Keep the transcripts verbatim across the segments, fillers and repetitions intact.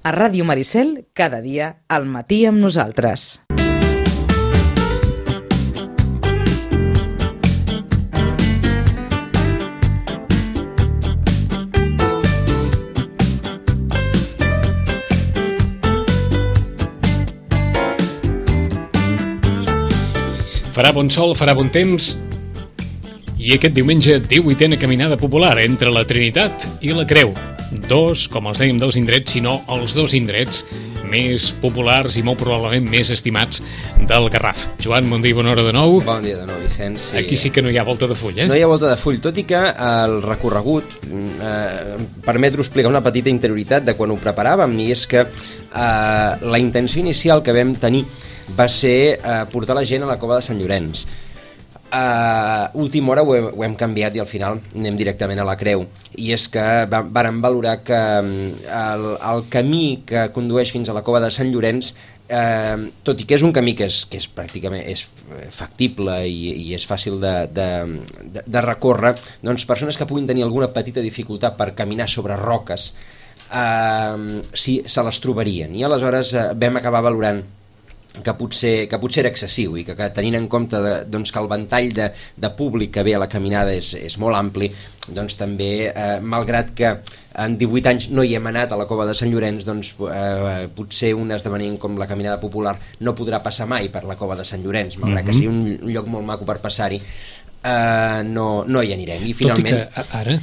A Ràdio Maricel, cada dia, al matí amb nosaltres. Farà bon sol, farà bon temps, i aquest diumenge divuitena caminada popular entre la Trinitat i la Creu. Dos, com els dèiem, dels indrets, sinó els dos indrets més populars i molt probablement més estimats del Garraf. Joan, bon dia i bona hora de nou. Bon dia de nou, Vicenç. Sí. Aquí sí que no hi ha volta de full, eh? No hi ha volta de full, tot i que el recorregut eh, permet-ho explicar una petita interioritat de quan ho preparàvem, i és que eh, la intenció inicial que vam tenir va ser uh, portar la gent a la cova de Sant Llorenç. A uh, última hora ho hem, ho hem canviat i al final anem directament a la Creu. I és que va, vàrem valorar que el, el camí que condueix fins a la cova de Sant Llorenç, uh, tot i que és un camí que és, que és pràcticament és factible i, i és fàcil de, de, de, de recórrer, doncs persones que puguin tenir alguna petita dificultat per caminar sobre roques, uh, sí, se les trobarien. I aleshores uh, vam acabar valorant que potser, que potser era excessiu i que, que tenint en compte de, doncs, que el ventall de, de públic que ve a la caminada és, és molt ampli, doncs també, eh, malgrat que en divuit anys no hi hem anat a la cova de Sant Llorenç, doncs eh, potser un esdeveniment com la caminada popular no podrà passar mai per la cova de Sant Llorenç, malgrat mm-hmm. que sigui un, un lloc molt maco per passar-hi, eh, no, no hi anirem. I finalment... Tot i que ara,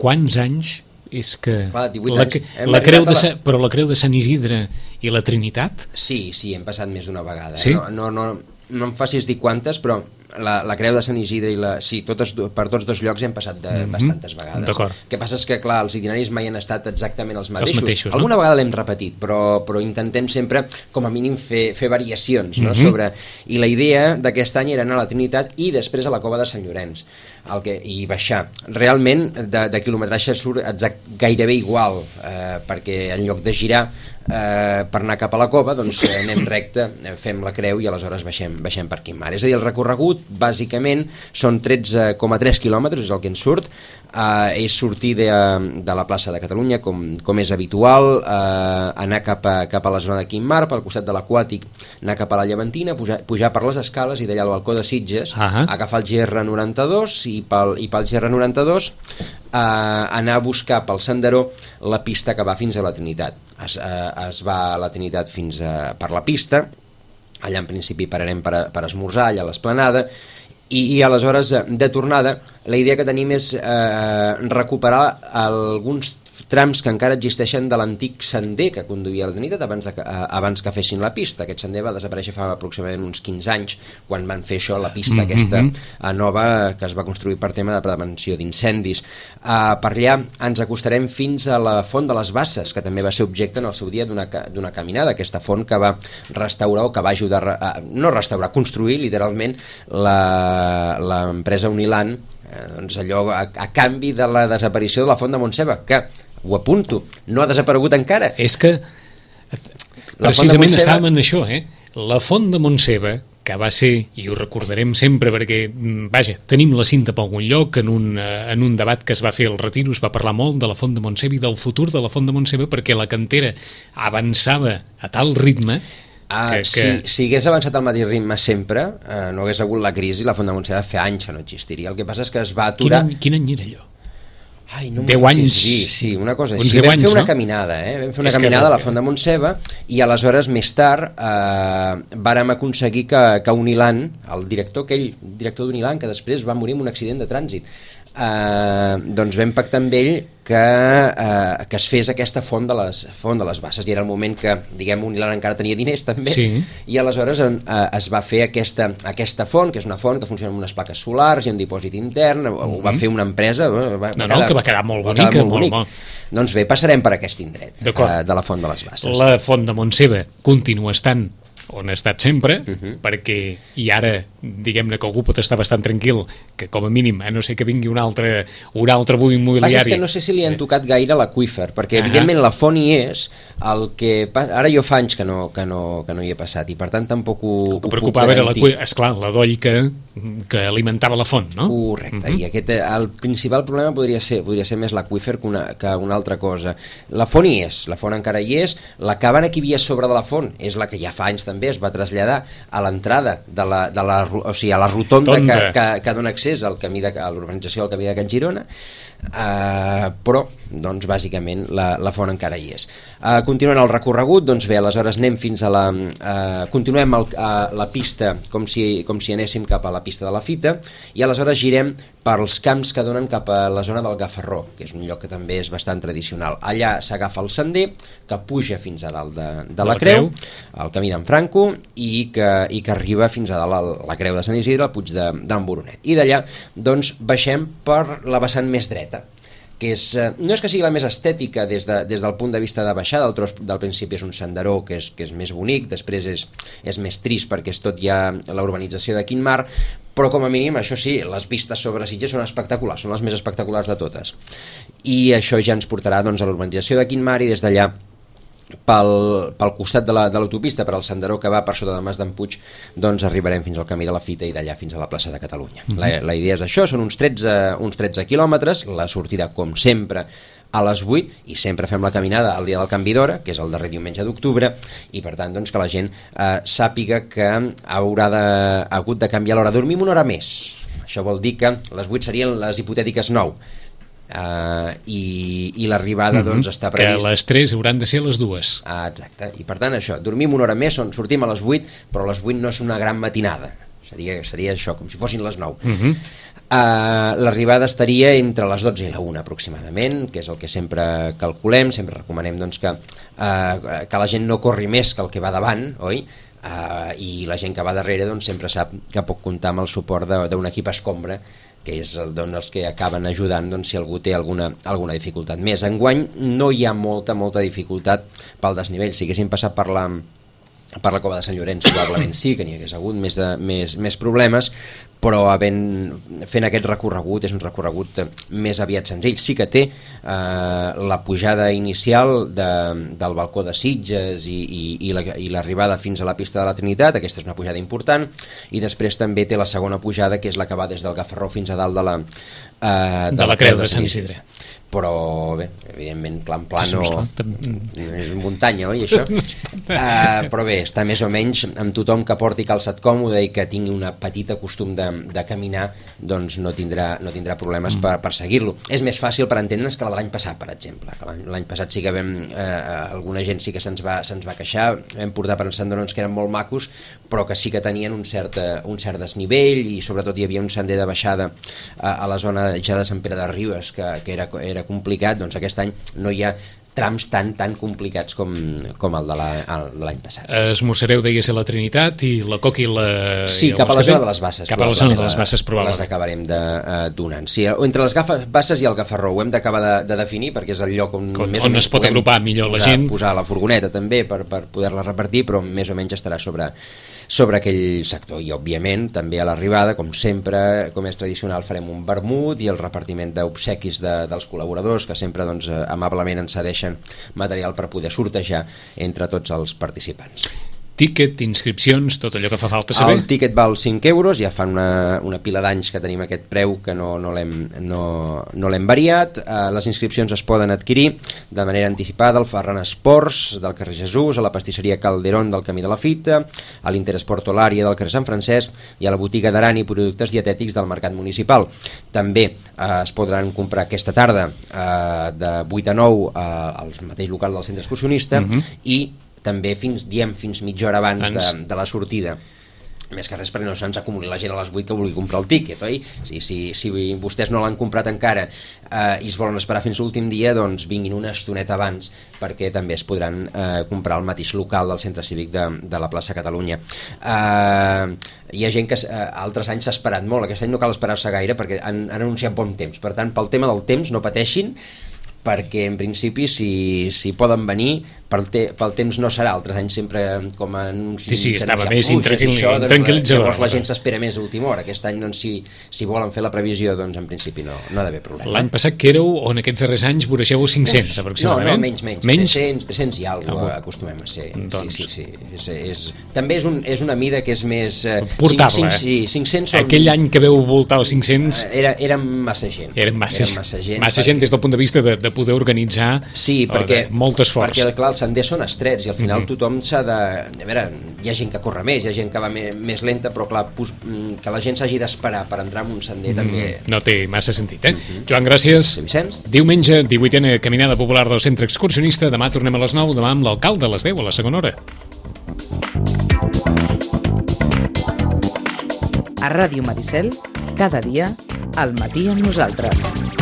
quants anys és que... Va, la, la creu de la... Però la Creu de Sant Isidre i la Trinitat? Sí, sí, hem passat més d'una vegada. Sí? Eh? No, no, no, no em facis dir quantes, però la, la Creu de Sant Isidre i la... Sí, totes, per tots dos llocs hem passat de mm-hmm. bastantes vegades. D'acord. El que passa és que, clar, els itineraris mai han estat exactament els mateixos. Els mateixos, no? Alguna vegada l'hem repetit, però, però intentem sempre, com a mínim, fer, fer variacions, no? Mm-hmm. Sobre... I la idea d'aquest any era anar a la Trinitat i després a la cova de Sant Llorenç. El que, i baixar. Realment, de, de quilometratge surt exact, gairebé igual, eh, perquè en lloc de girar eh, per anar cap a la cova, doncs eh, anem recte, eh, fem la creu i aleshores baixem, baixem per Quimar. És a dir, el recorregut, bàsicament, són tretze coma tres quilòmetres, és el que ens surt, eh, és sortir de, de la plaça de Catalunya, com, com és habitual, eh, anar cap a, cap a la zona de Quimar, pel costat de l'Aquàtic, anar cap a la Llevantina, pujar, pujar per les escales i d'allà al balcó de Sitges, uh-huh. agafar el G R noranta-dos i pel, i pel G R noranta-dos eh, anar a buscar pel senderó la pista que va fins a la Trinitat. Es, eh, es va a la Trinitat fins a, per la pista, allà en principi pararem per, a, per esmorzar allà a l'esplanada, i, i aleshores de tornada la idea que tenim és eh, recuperar alguns trams que encara existeixen de l'antic sender que conduïa a la Trinitat abans, de, eh, abans que fessin la pista. Aquest sender va desaparèixer fa aproximadament uns quinze anys, quan van fer això, la pista mm-hmm. aquesta eh, nova que es va construir per tema de prevenció d'incendis. Eh, per allà ens acostarem fins a la Font de les Basses, que també va ser objecte en el seu dia d'una, d'una caminada, aquesta font que va restaurar o que va ajudar a, no restaurar, construir literalment la, l'empresa Unilan, eh, doncs allò a, a canvi de la desaparició de la Font de Montseba, que ho apunto, no ha desaparegut encara. És que precisament Montseba... estàvem en això, eh? La Font de Montseba, que va ser, i ho recordarem sempre perquè, vaja, tenim la cinta per algun lloc, en un, en un debat que es va fer al Retiro es va parlar molt de la Font de Montseba i del futur de la Font de Montseba, perquè la cantera avançava a tal ritme Ah, que, que... Si, si hagués avançat al mateix ritme sempre, eh, no hagués hagut la crisi, la Font de Montseba fa anys que no existiria. El que passa és que es va aturar... Quin any, quin any era allò? Ai, no deu anys. Sí, sí, una cosa així. Vam anys, fer una no? caminada, eh? Vam fer una és caminada que... a la Font de Montseba i aleshores, més tard, eh, vàrem aconseguir que, que Unilan, el director, aquell director d'Unilan, que després va morir en un accident de trànsit, eh, doncs vam pactar amb ell que, eh, que es fes aquesta font de, les, font de les Basses, i era el moment que, diguem, Unilan encara tenia diners també, sí. I aleshores eh, es va fer aquesta, aquesta font, que és una font que funciona amb unes plaques solars i un dipòsit intern, mm-hmm. ho va fer una empresa, va, no, va no, quedar, que va quedar molt va bonica, quedar molt molt, bonic. Molt. Doncs bé, passarem per aquest indret eh, de la Font de les Basses. La Font de Montseba continua estant on ha estat sempre, uh Mhm. -huh. perquè, i ara, diguem-ne que algú pot estar bastant tranquil, que com a mínim, a no ser que vingui un altre, un altre boom immobiliari... Passa que no sé si li han tocat gaire l'aqüífer, perquè Ahà. evidentment la font hi és, el que... Ara jo fa anys que no, que no, que no hi he passat, i per tant tampoc ho, El que ho preocupava puc era, garantir. esclar, la doll que, que alimentava la font, no? Correcte, Uh -huh. i aquest, el principal problema podria ser, podria ser més l'aqüífer que una, que una altra cosa. La font hi és, la font encara hi és, la cabana que hi havia sobre de la font és la que ja fa anys també es va traslladar a l'entrada de la, de la, o sigui, a la rotonda que, que, que dona accés al camí de, a l'urbanització del camí de Can Girona, uh, però doncs bàsicament la, la font encara hi és. Uh, continuant el recorregut, doncs bé, aleshores anem fins a la uh, continuem el, a la pista com si, com si anéssim cap a la pista de la fita, i aleshores girem pels camps que donen cap a la zona del Gafarró, que és un lloc que també és bastant tradicional. Allà s'agafa el sender que puja fins a dalt de, de, de la, la creu, creu, el camí d'en Franco, i que, i que arriba fins a dalt a la creu de Sant Isidre, al Puig d'en Boronet. I d'allà doncs baixem per la vessant més dreta, que és, eh, no és que sigui la més estètica des, de, des del punt de vista de baixada, el tros del principi és un senderó que és, que és més bonic, després és, és més trist perquè és tot ja la urbanització de Quintmar, però com a mínim, això sí, les vistes sobre Sitges són espectaculars, són les més espectaculars de totes. I això ja ens portarà doncs, a l'urbanització de Quintmar, i des d'allà pel, pel costat de l'autopista, la, per al senderó que va per sota de Mas d'en Puig, doncs arribarem fins al camí de la Fita i d'allà fins a la plaça de Catalunya. Mm-hmm. la, la idea és això, són uns tretze, uns tretze quilòmetres, la sortida com sempre a les vuit, i sempre fem la caminada el dia del canvi d'hora, que és el darrer diumenge d'octubre, i per tant doncs, que la gent eh, sàpiga que haurà de, ha hagut de canviar l'hora. Dormim una hora més, això vol dir que les vuit serien les hipotètiques nou, Uh, i, i l'arribada mm-hmm. doncs està previst que les tres hauran de ser les dues. Ah, exacte, i per tant això, dormim una hora més, on sortim a les vuit, però a les vuit no és una gran matinada, seria, seria això, com si fossin les nou. Mm-hmm. Uh, l'arribada estaria entre les dotze i la una aproximadament, que és el que sempre calculem, sempre recomanem doncs, que, uh, que la gent no corri més que el que va davant, oi? Uh, i la gent que va darrere doncs, sempre sap que pot comptar amb el suport d'un equip escombra, que és el, doncs, els que acaben ajudant doncs, si algú té alguna, alguna dificultat més. Enguany no hi ha molta, molta dificultat pel desnivell. Si haguéssim passat per la, per la Cova de Sant Llorenç, probablement sí, que n'hi hagués hagut més, de, més, més problemes, però havent, fent aquest recorregut és un recorregut més aviat senzill. Sí que té eh, la pujada inicial de, del balcó de Sitges i, i, i, la, i l'arribada fins a la pista de la Trinitat, aquesta és una pujada important, i després també té la segona pujada, que és la que va des del Gafarró fins a dalt de la, eh, de de la, la creu de Sant Isidre. Però bé, evidentment plan plano sí, és muntanya, oi, això? Uh, però bé, està més o menys amb tothom que porti calçat còmode i que tingui una petita costum de, de caminar, doncs no tindrà, no tindrà problemes mm. per, per seguir-lo. És més fàcil per entendre's que la de l'any passat, per exemple, que l'any, l'any passat sí que vam, eh, alguna gent sí que se'ns va, se'ns va queixar, vam portar per senderons que eren molt macos, però que sí que tenien un cert, un cert desnivell, i sobretot hi havia un sender de baixada a, a la zona ja de Sant Pere de Ribes, que, que era, era complicat. Doncs aquest any no hi ha trams tan tan complicats com, com el de l'any passat. Esmorzareu, deia ser la Trinitat, i la Coca i la... Sí, i cap a la zona de les Basses. Cap a la zona de les Basses, probablement. Les acabarem de, uh, donant. Sí, entre les Basses i el Gafarró ho hem d'acabar de, de definir, perquè és el lloc on, on, més on es pot agrupar millor la gent. Posar la furgoneta també per, per poder-la repartir, però més o menys estarà sobre, sobre aquell sector. I òbviament també a l'arribada, com sempre, com és tradicional, farem un vermut i el repartiment d'obsequis de, dels col·laboradors, que sempre doncs, amablement ens cedeixen material per poder sortejar entre tots els participants. Tíquet, inscripcions, tot allò que fa falta saber? El tíquet val cinc euros, ja fa una, una pila d'anys que tenim aquest preu, que no, no l'hem no, no l'hem variat. Uh, les inscripcions es poden adquirir de manera anticipada al Ferran Esports del carrer Jesús, a la pastisseria Calderón del Camí de la Fita, a l'Interesport Olària del carrer Sant Francesc i a la botiga d'Aran i productes dietètics del Mercat Municipal. També uh, es podran comprar aquesta tarda uh, de vuit a nou uh, al mateix local del centre excursionista, uh-huh. i també fins, diem, fins mitja hora abans de, de la sortida, més que res perquè no se'ns acumuli la gent a les vuit que vulgui comprar el tíquet, oi? Si, si, si vostès no l'han comprat encara eh, i es volen esperar fins l'últim dia, doncs vinguin una estoneta abans, perquè també es podran eh, comprar al mateix local del Centre Cívic de, de la plaça Catalunya. Eh, hi ha gent que eh, altres anys s'ha esperat molt, aquest any no cal esperar-se gaire perquè han, han anunciat bon temps, per tant pel tema del temps no pateixin, perquè en principi si, si poden venir pel, te, pel temps no serà, altres anys sempre com en uns... Sí, sí, estava més intranquil·litzador. Doncs, llavors la gent s'espera més a última hora. Aquest any, doncs, si, si volen fer la previsió, doncs en principi no, no ha d'haver problema. L'any passat que éreu, on aquests darrers anys voreixeu cinc-cents, aproximadament? No, no, menys, menys, menys? tres cents, tres cents i alguna cosa ah, acostumem a ser. Doncs... Sí, sí, sí. És, és, també és, un, és una mida que és més... Eh, portable. cinc, sí, cinc-cents són... Aquell any que veu voltar els cinc-cents... Era, érem massa gent. Érem massa, érem massa gent. Massa gent des del punt de vista de, de poder organitzar sí, perquè, molt esforç. Perquè, clar, els senders són estrets i al final mm -hmm. tothom s'ha de... A veure, hi ha gent que corre més, hi ha gent que va més, més lenta, però clar, que la gent s'hagi d'esperar per entrar en un sender mm -hmm. també... No té massa sentit, eh? Mm -hmm. Joan, gràcies. Sí, Vicenç. Diumenge, divuitena Caminada Popular del Centre Excursionista. Demà tornem a les nou, demà amb l'alcalde a les deu, a la segona hora. A Ràdio Maricel, cada dia, al matí amb nosaltres.